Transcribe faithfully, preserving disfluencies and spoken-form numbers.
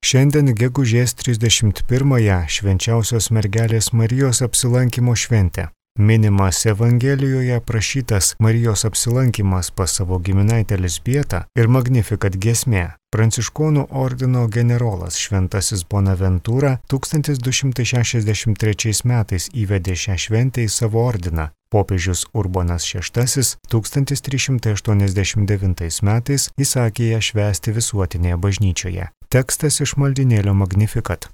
Šiandien gegužės trisdešimt pirmąją švenčiausios mergelės Marijos apsilankymo šventė. Minimas Evangelijoje aprašytas Marijos apsilankymas pas savo giminaitę Elzbietą ir Magnificat giesmė. Pranciškonų ordino generolas Šventasis Bonaventūra tūkstantis du šimtai šešiasdešimt trečiais metais įvedė šią šventę į savo ordiną. Popiežius Urbonas šeštasis tūkstantis trys šimtai aštuoniasdešimt devintais metais įsakė ją švęsti visuotinėje bažnyčioje. Tekstas iš maldynėlio Magnificat.